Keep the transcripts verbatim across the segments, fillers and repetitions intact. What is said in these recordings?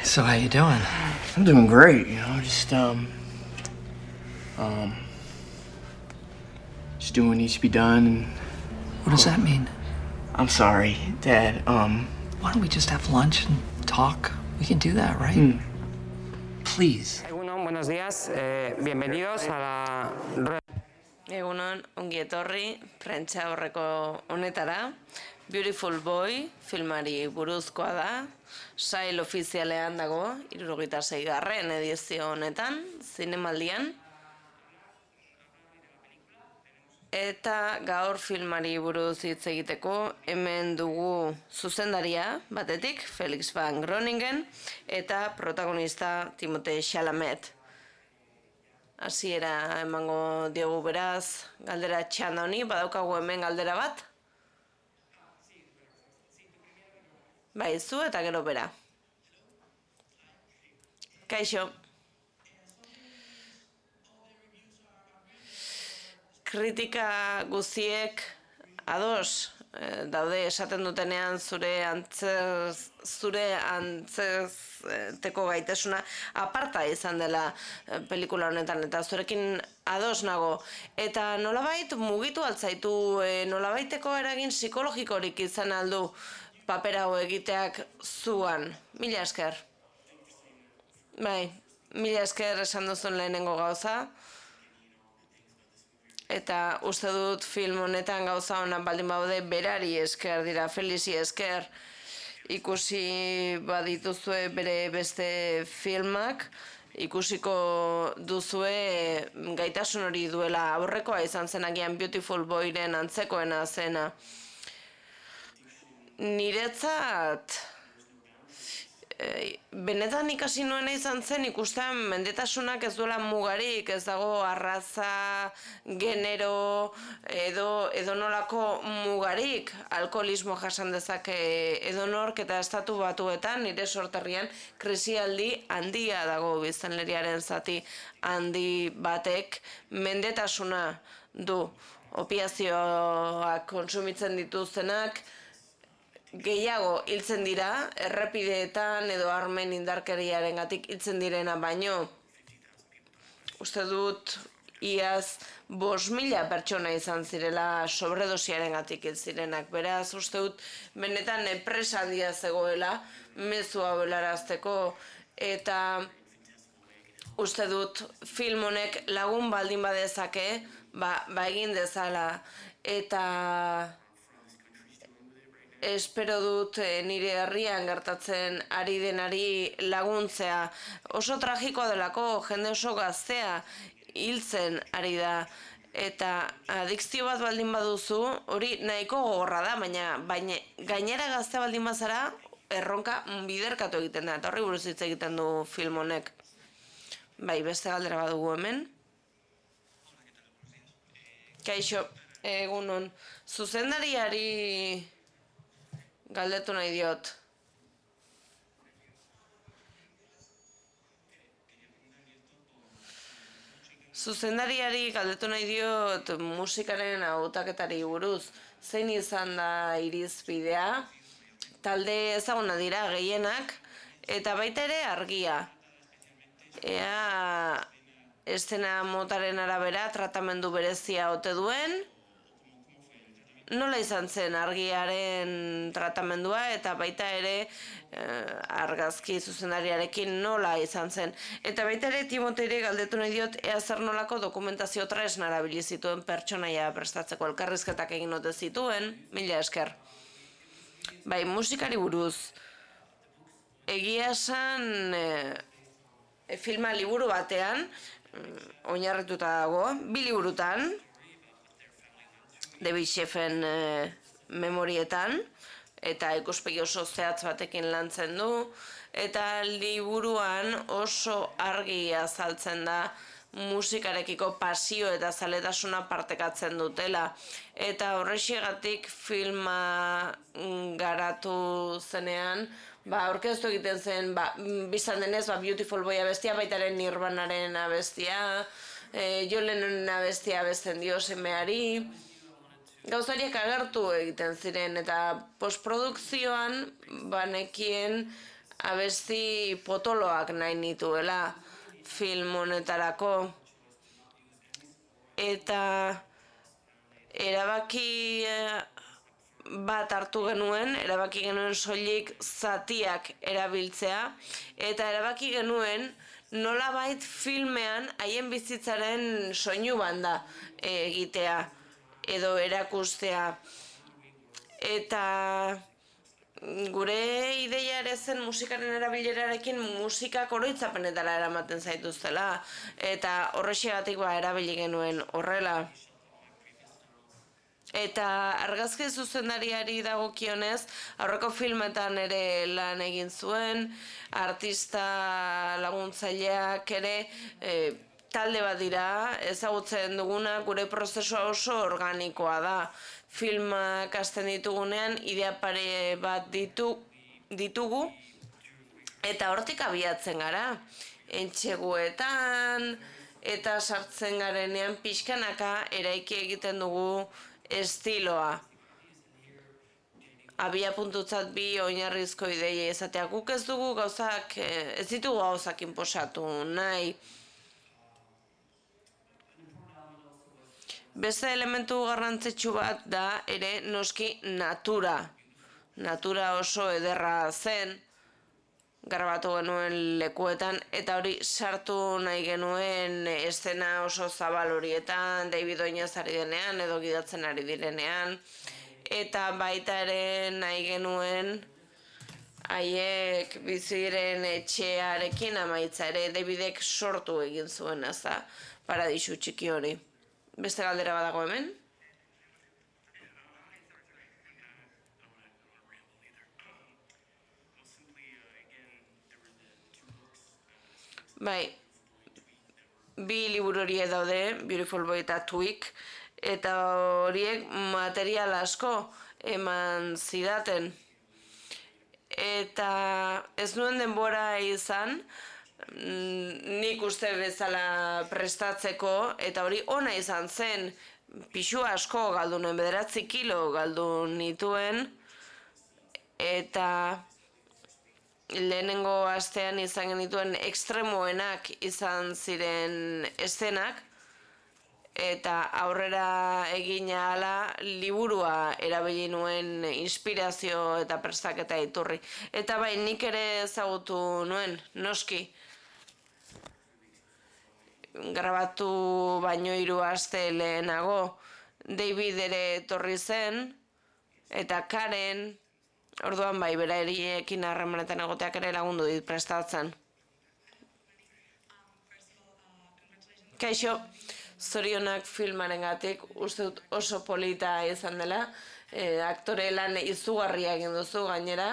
So how you doing? I'm doing great, you know, just, um, um, just doing what needs to be done, and... What does that mean? I'm sorry, Dad, um... Why don't we just have lunch and talk? We can do that, right? Mm. Please. Egunon, buenos días, eh, bienvenidos a la... Egunon, ongi etorri, prentsa horreko honetara. Beautiful Boy filmari buruzkoa da, sail ofizialean dago, hirurogeita seigarren edizio honetan, zinemaldian. Eta gaur filmari buruz hitz egiteko, hemen dugu zuzendaria batetik, Felix van Groningen, eta protagonista Timothée Chalamet. Hasiera emango diogu beraz, galdera txanda honi, badaukagu hemen galdera bat? Bai, zu eta gero bera. Kaixo. Kritika guztiek ados daude esaten dutenean zure antzez, zure antzezteko gaitasuna aparta izan dela pelikula honetan, eta zurekin ados nago. Eta nolabait mugitu altzaitu, nolabaiteko eragin psikologikorik izan aldu paper hau egiteak zuan. Mila esker. Bai, mila esker esan duzun lehenengo gauza. Eta uste dut film honetan gauza honan baldin baude berari esker dira, Felizi esker. Ikusi badituzue bere beste filmak, ikusiko duzue gaitasun hori duela. Aurrekoa izan zenagian Beautiful Boyren antzekoena zena. Niretzat, benetan ikasi nuena izan zen ikusten mendetasunak ez duela mugarik, ez dago arraza, genero, edo edonolako mugarik, alkoholismo jasan dezake edonork, eta estatu batuetan, nire sorterrian, krisialdi handia dago biztanleriaren zati handi batek mendetasuna du. Opiazioak kontsumitzen dituztenak, gehiago hiltzen dira, errepideetan edo armen indarkeriarengatik hiltzen direna, baino uste dut iaz bost mila pertsona izan zirela sobredosiarengatik hil zirenak. Beraz, uste dut benetan enpresa handia zegoela mezu hau helarazteko, eta uste dut film honek lagun baldin badezake, ba, ba egin dezala, eta espero dut nire herrian gertatzen ari denari laguntzea. Oso tragikoa delako, jende oso gaztea hiltzen ari da. Eta adikzio bat baldin baduzu, hori nahiko gogorra da, baina, baina gainera gaztea baldin bazara, erronka biderkatu egiten da. Eta horri buruz hitz egiten du film honek. Bai, beste galdera badugu hemen. Kaixo, egunon. Zuzendariari galdetu nahi diot. Zuzendariari galdetu nahi diot musikaren hautaketari buruz. Zein izan da irizpidea? Talde ezaguna dira gehienak, eta baita ere argia. Ea eszena motaren arabera tratamendu berezia ote duen, nola izan zen argiaren tratamendua, eta baita ere argazki zuzendariarekin nola izan zen. Eta baita ere Timoteiri galdetu nahi diot ea zer nolako dokumentazio tresna erabili zituen pertsonaia prestatzeko, elkarrizketak egin ote zituen, mila esker. Bai, musikari buruz. Egia esan filma liburu batean, oinarrituta dago, bi liburutan, David Sheffen memorietan, eta ikuspegi oso zehatz batekin lantzen du, eta liburuan oso argi azaltzen da musikarekiko pasio eta zaletasuna partekatzen dutela. Eta horrexegatik filma garatu zenean, ba, orkestu egiten zen, ba, biztan denez, ba, Beautiful Boy abestia, baitaren Nirvanaren abestia, e, John Lennonen abestia abesten dio semeari, gauzariak agertu egiten ziren, eta postprodukzioan banekien abesti potoloak nahi nituela film honetarako. Eta erabaki bat hartu genuen, erabaki genuen soilik zatiak erabiltzea, eta erabaki genuen nolabait filmean haien bizitzaren soinu banda egitea edo erakustea. Eta gure ideia ere zen musikaren erabilerarekin musikak oroitzapenetara eramaten zaituztela, eta horrexegatik ba erabili genuen horrela. Eta argazki zuzendariari dagokionez, aurreko filmetan ere lan egin zuen, artista laguntzaileak ere e, talde bat dira, ezagutzen duguna, gure prozesua oso organikoa da. Filmak hasten ditugunean, idea pare bat ditu, ditugu, eta hortik abiatzen gara. Entxeguetan, eta sartzen garenean pixkanaka eraiki egiten dugu estiloa. Abia puntutzat bi oinarrizko ideia izatea. Guk ez dugu gauzak, ez ditugu gauzak inposatu nahi. Beste elementu garrantzitsu bat da ere noski natura. Natura oso ederra zen, grabatu genuen lekuetan, eta hori sartu nahi genuen eszena oso zabal horietan, David Oinez ari denean edo gidatzen ari direnean, eta baita ere nahi genuen haiek biziren etxearekin amaitza ere Davidek sortu egin zuen, ez da, paradisu txiki hori. Beste galdera badago hemen? Bai, bi liburu horiek daude, Beautiful Boy eta Twig, eta horiek material asko eman zidaten. Eta ez nuen denbora izan, nik uste bezala prestatzeko, eta hori ona izan zen, pixu asko galdu nuen, bederatzi kilo galdu nituen, eta lehenengo astean izan genituen ekstremoenak izan ziren eszenak, eta aurrera egin ahala liburua erabili nuen inspirazio eta prestaketa iturri. Eta bai, nik ere ezagutu nuen, noski. Grabatu baino hiru aste lehenago, David ere etorri zen, eta Karen, orduan bai, berariekin harremanetan egoteak ere lagundu dit prestatzen. Kaixo, zorionak filmarengatik, uste dut oso polita izan dela, e, aktore lan izugarria egin duzu gainera,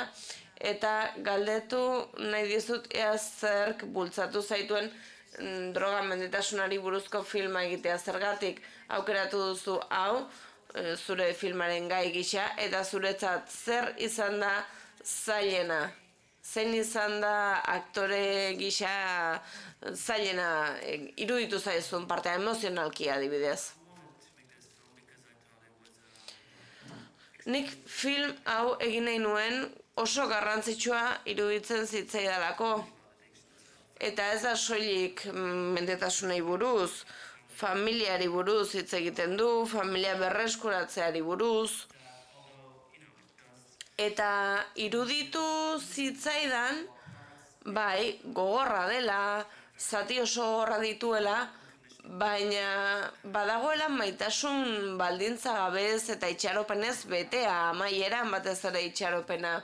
eta galdetu nahi dizut ea zerk bultzatu zaituen mm, droga mendetasunari buruzko filma egitea, zergatik aukeratu duzu hau, zure filmaren gai gisa, eta zuretzat zer izan da zailena? Zein izan da aktore gisa zailena iruditu zaizun partea emozionalki adibidez? Nik film hau egin nahi nuen oso garrantzitsua iruditzen zitzaidalako. Eta ez da soilik mendetasunei buruz, familiari buruz hitz egiten du, familia berreskuratzeari buruz. Eta iruditu zitzaidan, bai, gogorra dela, zati oso gogorra dituela, baina badagoela maitasun baldintza gabez eta itxaropenez betea, amaieran batez ere itxaropena.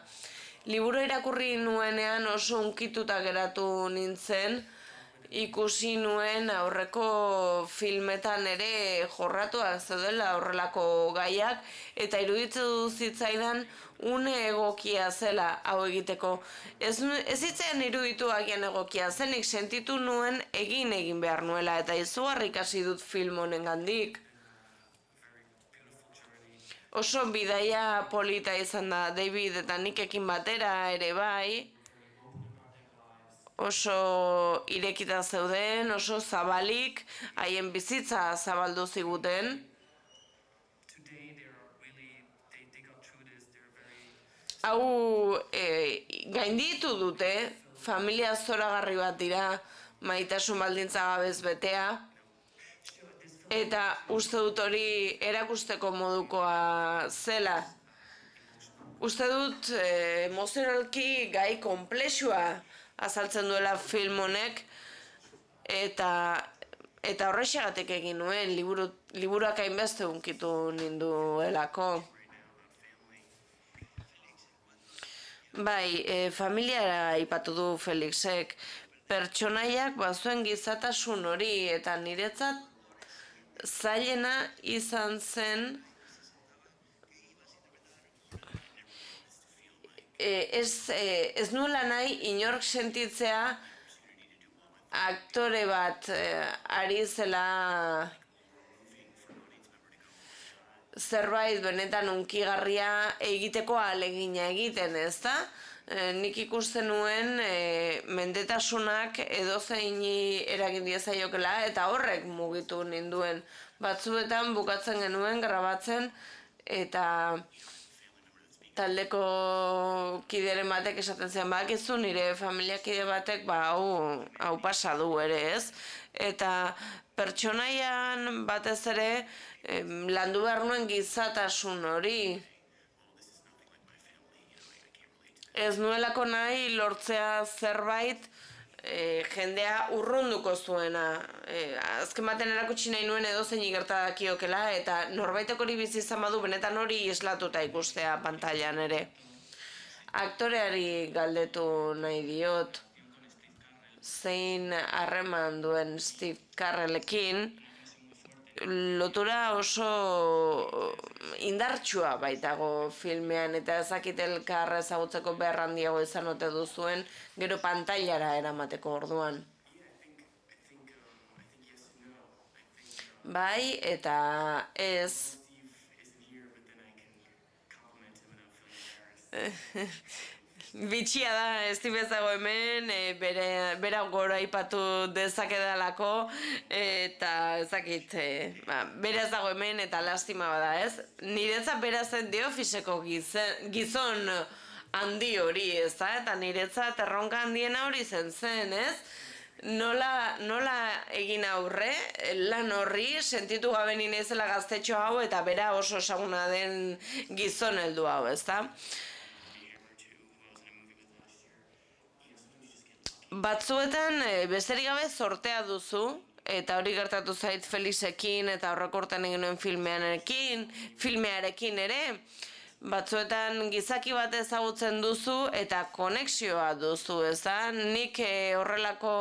Liburu irakurri nuenean oso unkituta geratu nintzen, ikusi nuen aurreko filmetan ere jorratuak zeudela horrelako gaiak, eta iruditzen du zitzaidan une egokia zela hau egiteko. Ez, ez zitzaidan iruditu agian egokia zenik, sentitu nuen egin egin behar nuela, eta izugarri ikasi dut film honen gandik. Oso bidaia polita izan da David eta Nickekin batera ere bai, oso irekita zeuden, oso zabalik, haien bizitza zabaldu ziguten. Hau e, gai gainditu dute, familia zoragarri bat dira, maitasun baldintza gabez betea, eta uste dut hori erakusteko modukoa zela. Uste dut eh, emozionalki gai konplexua azaltzen duela film honek, eta eta horrexegatik egin nuen, liburu, liburuak hainbeste unkitu ninduelako. Bai, e, familiara aipatu du Felixek, pertsonaiak bazuen gizatasun hori, eta niretzat zailena izan zen e, ez, e, ez nuela nahi inork sentitzea aktore bat eh, ari zela zerbait benetan unkigarria egiteko ahalegina egiten, ezta? E, nik ikusten nuen e, mendetasunak edozeini eragin diezaiokela eta horrek mugitu ninduen. Batzuetan bukatzen genuen grabatzen eta taldeko kideren batek esaten zen, bakizu nire familiakide batek ba hau, hau pasa du ere, ez? Eta pertsonaian batez ere em, landu behar nuen gizatasun hori. Ez nuelako nahi lortzea zerbait e, jendea urrunduko zuena. E, azken baten erakutsi nahi nuen edozein gerta dakiokela, eta norbaitek hori bizi izan badu benetan hori islatuta ikustea pantailan ere. Aktoreari galdetu nahi diot, zein harreman duen Steve Carellekin, lotura oso indartsua baitago filmean, eta ezakit elkar ezagutzeko behar handiago izan ote duzuen, gero pantailara eramateko orduan. Bai, eta ez. Bitxia da, Steve ez dago hemen, e, bere, bera gora ipatu dezakedalako, eta ezakit, e, ba, bera ez dago hemen eta lastima bada, ez? Niretzat bera zen The Officeko gizon, gizon handi hori, ez da? Eta niretzat erronka handiena hori zen zen, ez? Nola, nola egin aurre, lan horri, sentitu gabe ninezela gaztetxo hau, eta bera oso esaguna den gizon heldu hau, ez da? Batzuetan besterik gabe zortea duzu, eta hori gertatu zait Felixekin eta horrekortan egin nuen filmearekin, filmearekin ere. Batzuetan gizaki bat ezagutzen duzu eta konexioa duzu, ez da? Nik horrelako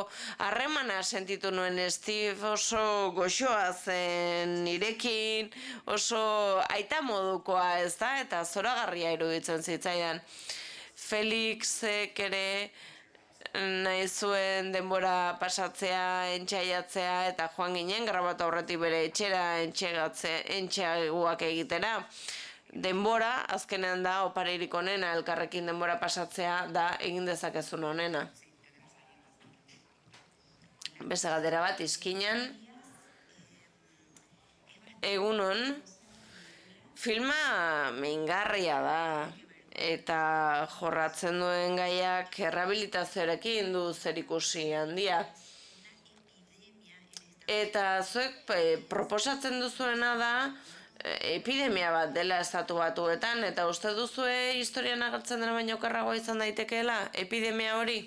harremana sentitu nuen. Steve oso goxoa zen nirekin, oso aita modukoa, ez da? Eta zoragarria iruditzen zitzaidan. Felixek ere nahi zuen denbora pasatzea, entxaiatzea, eta joan ginen grabatu aurretik bere etxera entxeaguak egitera. Denbora, azkenean da, opareirik onena, elkarrekin denbora pasatzea da egin dezakezun onena. Beste galdera bat, izkinan. Egunon, filma mingarria da. Eta jorratzen duen gaiak errehabilitazioarekin du zerikusi handia. Eta zuek proposatzen duzuena da epidemia bat dela estatu batuetan, eta uste duzue historian agertzen dena baino okerragoa izan daitekeela epidemia hori?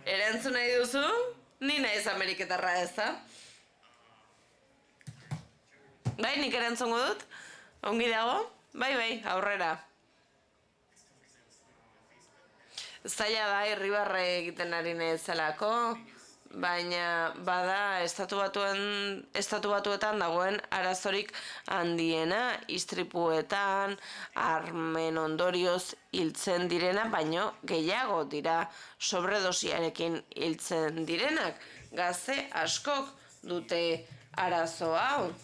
Erantzun nahi duzu? Ni naiz Ameriketarra, ez da? Bai, nik erantzungo dut? Ongi dago? Bai, bai, aurrera. Zaila da, irribarre egiten ari nahizelako, baina bada estatu batuen, estatu batuetan dagoen arazorik handiena, istripuetan, armen ondorioz hiltzen direna, baino gehiago dira sobredosiarekin hiltzen direnak. Gazte askok dute arazo hau.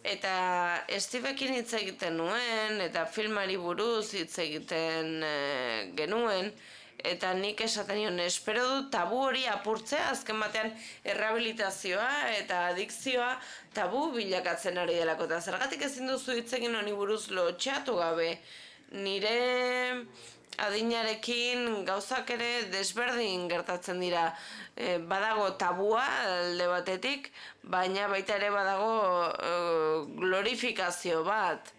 Eta Stevekin hitz egiten nuen, eta filmari buruz hitz egiten e, genuen, Eta nik esaten nion, espero dut tabu hori apurtzea, azken batean errehabilitazioa eta adikzioa tabu bilakatzen ari delako. Eta zergatik ezin duzu hitz egin honi buruz lotxatu gabe. Nire adinarekin gauzak ere desberdin gertatzen dira. E, badago tabua alde batetik, baina baita ere badago e, glorifikazio bat.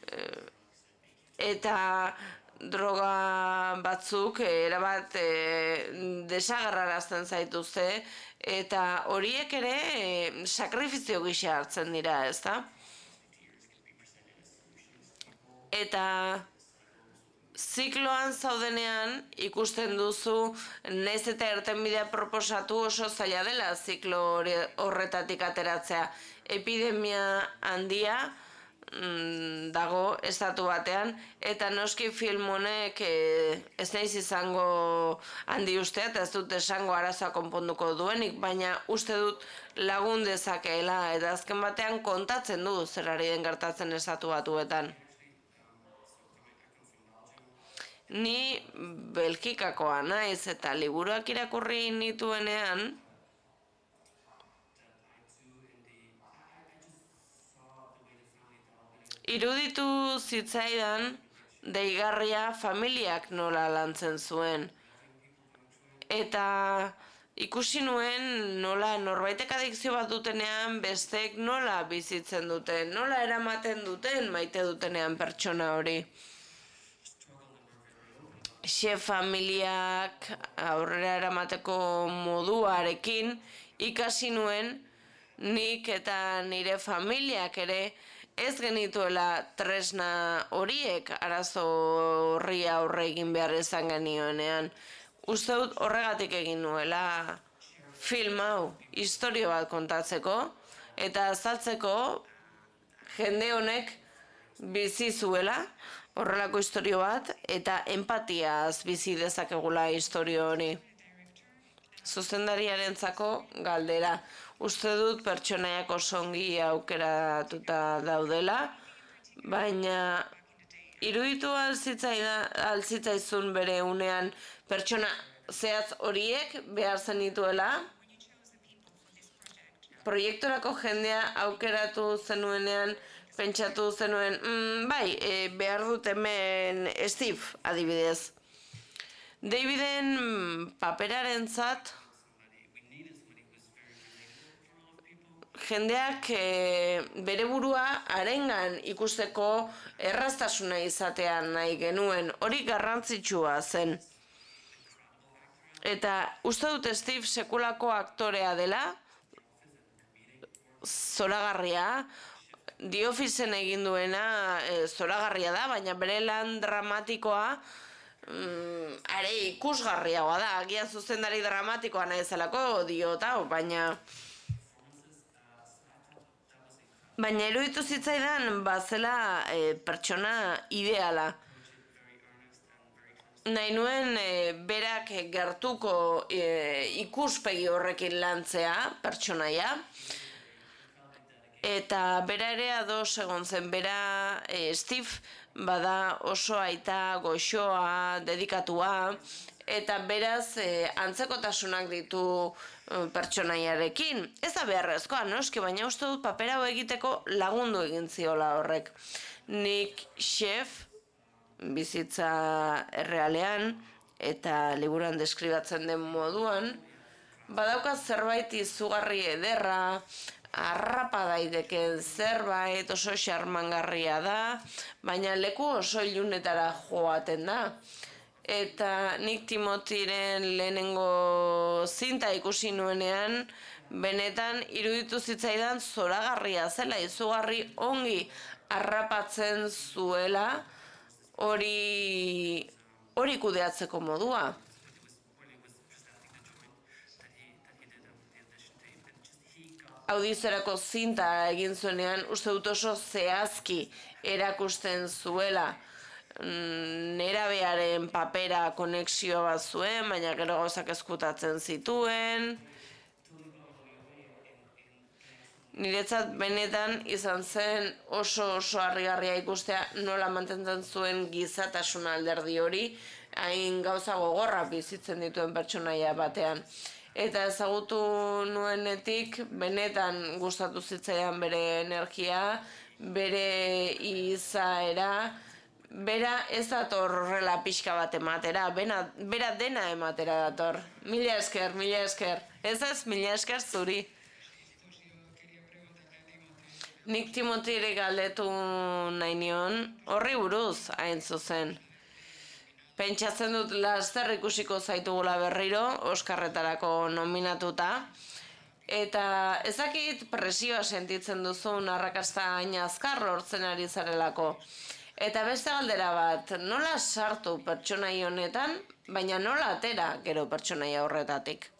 E, eta droga batzuk erabat e, desagerrarazten zaituzte eta horiek ere e, sakrifizio gisa hartzen dira, ezta? Eta zikloan zaudenean ikusten duzu nahiz eta irtenbidea proposatu oso zaila dela ziklo horretatik ateratzea. Epidemia handia dago estatu batean, eta noski film honek e, ez naiz izango handi ustea, eta ez dut esango arazoa konponduko duenik, baina uste dut lagun dezakeela, eta azken batean kontatzen du zer ari den gertatzen estatu batuetan. Ni Belgikakoa naiz, eta liburuak irakurri nituenean, iruditu zitzaidan deigarria familiak nola lantzen zuen. Eta ikusi nuen nola norbaitek adikzio bat dutenean bestek nola bizitzen duten, nola eramaten duten maite dutenean pertsona hori. Chef familiak aurrera eramateko moduarekin ikasi nuen nik eta nire familiak ere ez genituela tresna horiek arazo horri aurre egin behar izan genioenean. Uste dut horregatik egin nuela film hau, istorio bat kontatzeko, eta azaltzeko jende honek bizi zuela horrelako istorio bat, eta empatiaz bizi dezakegula istorio hori. Zuzendariarentzako galdera. Uste dut pertsonaiak oso ongi aukeratuta daudela, baina iruditu alzitzaizun bere unean pertsona zehatz horiek behar zenituela. Proiekturako jendea aukeratu zenuenean pentsatu zenuen, mm, bai, e, behar dut hemen Steve adibidez. Daviden paperarentzat jendeak e, bere burua harengan ikusteko erraztasuna izatean nahi genuen, hori garrantzitsua zen. Eta uste dut Steve sekulako aktorea dela, zoragarria, The Officeen egin duena e, zoragarria da, baina bere lan dramatikoa mm, are ikusgarriagoa da, agian zuzendari dramatikoa nahi zelako diota, baina Baina iruditu zitzaidan bazela e, pertsona ideala. Nahi nuen e, berak gertuko e, ikuspegi horrekin lantzea pertsonaia. Eta bera ere ados egon zen, bera e, Steve bada oso aita goxoa, dedikatua, eta beraz e, antzekotasunak ditu e, pertsonaiarekin. Ez da beharrezkoa, noski, baina uste dut papera hau egiteko lagundu egin ziola horrek. Nik chef, bizitza errealean, eta liburuan deskribatzen den moduan, badauka zerbait izugarri ederra, harrapa daiteken zerbait, oso xarmangarria da, baina leku oso ilunetara joaten da. Eta nik Timotiren lehenengo zinta ikusi nuenean, benetan iruditu zitzaidan zoragarria zela, izugarri ongi harrapatzen zuela hori hori kudeatzeko modua. Audizorako zinta egin zuenean, uste dut oso zehazki erakusten zuela. Nerabearen papera konexio bat zuen, baina gero gauzak ezkutatzen zituen. Niretzat benetan izan zen oso oso harrigarria ikustea nola mantentzen zuen gizatasuna alderdi hori, hain gauza gogorra bizitzen dituen pertsonaia batean. Eta ezagutu nuenetik, benetan gustatu zitzaidan bere energia, bere izaera, bera ez dator horrela pixka bat ematera, bena, bera dena ematera dator. Mila esker, mila esker. Ez ez, mila esker zuri. Nik Timotiri galdetu nahi nion, horri buruz hain zuzen. Pentsatzen dut laster ikusiko zaitugula berriro, Oskarretarako nominatuta. Eta ezakit presioa sentitzen duzun arrakasta hain azkar lortzen ari zarelako. Eta beste galdera bat, nola sartu pertsonai honetan, baina nola atera gero pertsonaia horretatik?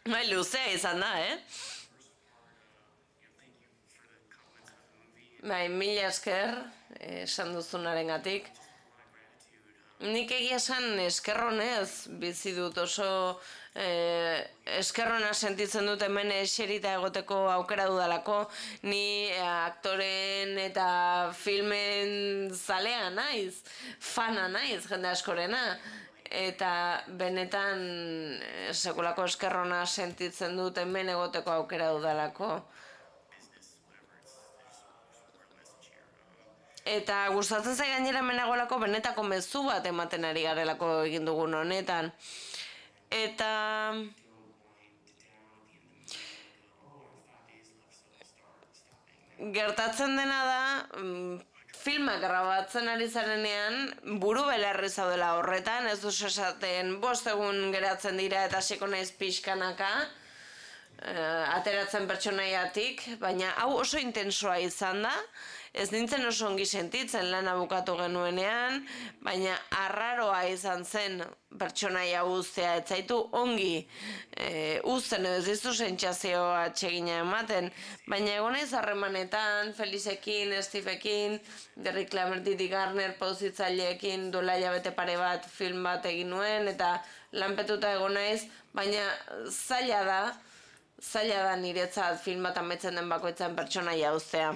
Bai, luzea izan da, eh? Bai, mila esker, esan duzunarengatik. Nik egia esan eskerronez bizi dut oso eh, eskerrona sentitzen dut hemen eserita egoteko aukera dudalako. Ni eh, aktoren eta filmen zalea naiz, fana naiz jende askorena. Eta benetan sekulako eskerrona sentitzen dut hemen egoteko aukera dudalako. Eta gustatzen zai gainera hemen nagoelako benetako mezu bat ematen ari garelako egin dugun honetan. Eta gertatzen dena da, filmak grabatzen ari zarenean, buru belarri zaudela horretan, ez duz esaten bost egun geratzen dira eta hasiko naiz pixkanaka, ateratzen pertsonaiatik, baina hau oso intensoa izan da, ez nintzen oso ongi sentitzen lana bukatu genuenean, baina arraroa izan zen pertsonaia uztea, ez zaitu ongi e, uzten edo ez dizu sentsazio atsegina ematen, baina egonez harremanetan, Felizekin, Steveekin, Derrick Klammer, Didi Garner, pauzitzaileekin duela hilabete pare bat film bat egin nuen, eta lanpetuta egonaiz, baina zaila da, zaila da niretzat film bat ametzen den bakoitzan pertsonaia uztea.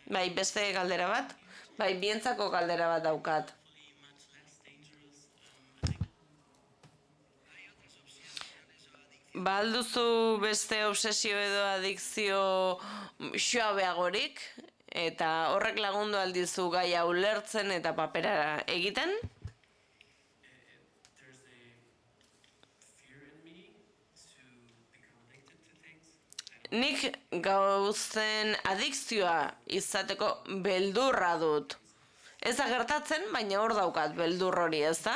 Bai, beste galdera bat? Bai, bientzako galdera bat daukat. Ba alduzu beste obsesio edo adikzio xoabeagorik, eta horrek lagundu aldizu gaia ulertzen eta papera egiten? Nik gauzen adikzioa izateko beldurra dut. Ez da gertatzen, baina hor daukat beldur hori, ez da?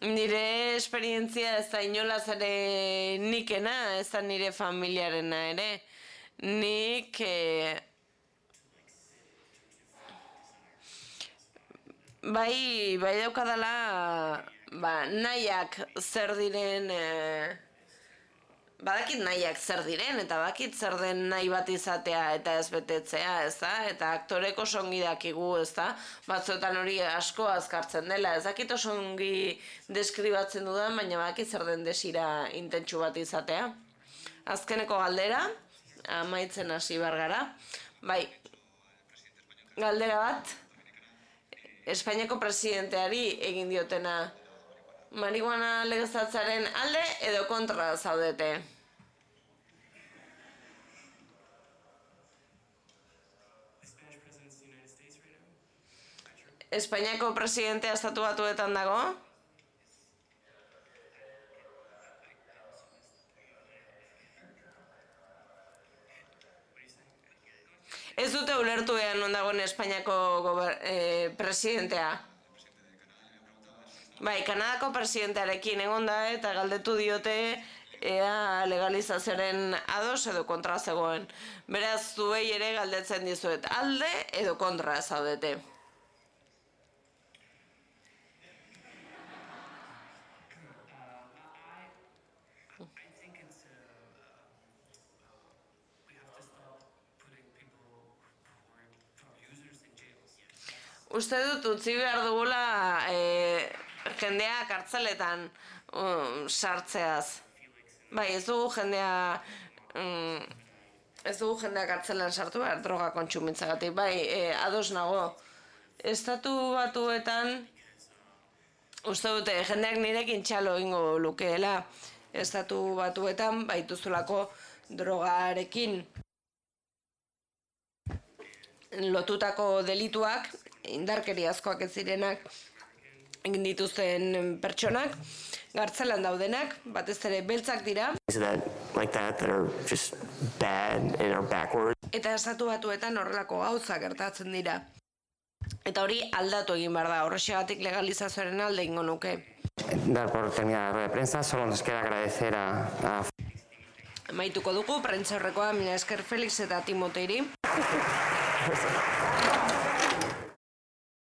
Nire esperientzia ez da inolaz ere nikena, ez da nire familiarena ere. Nik eh, bai, bai daukadala ba, nahiak zer diren... Eh, Badakit nahiak zer diren, eta badakit zer den nahi bat izatea eta ez betetzea, ez da? Eta aktorek oso ongi dakigu, ez da? Batzuetan hori asko azkartzen dela, ez dakit oso ongi deskribatzen dudan, baina badakit zer den desira intentsu bat izatea. Azkeneko galdera, amaitzen hasi behar gara. Bai, galdera bat, Espainiako presidenteari egin diotena. Marihuana legeztatzaren alde edo kontra zaudete? Espainiako presidentea estatu batuetan dago? Ez dute ulertu ean non dagoen Espainiako eh, presidentea? Bai, Kanadako presidentearekin egon da eta galdetu diote ea legalizazioaren ados edo kontra zegoen. Beraz, zuei ere galdetzen dizuet, alde edo kontra zaudete. Uste dut utzi behar dugula e, jendea kartzeletan um, sartzeaz. Bai, ez dugu jendea... Um, ez dugu jendea kartzelan sartu behar droga kontsumitzagatik. Bai, e, ados nago. Estatu batuetan, uste dute, jendeak nirekin txalo ingo lukeela. Estatu batuetan, baituzulako drogarekin lotutako delituak, indarkeriazkoak ez zirenak, egin dituzten pertsonak, gartzelan daudenak, batez ere beltzak dira. That, like that, that are just bad and are backwards. Eta estatu batuetan horrelako gauzak gertatzen dira. Eta hori aldatu egin behar da, horrexegatik legalizazioaren alde ingo nuke. Dar por terminada la rueda de prensa, solo nos queda agradecer a... a... Maituko dugu, prentza horrekoa, mila esker Felix eta Timoteiri.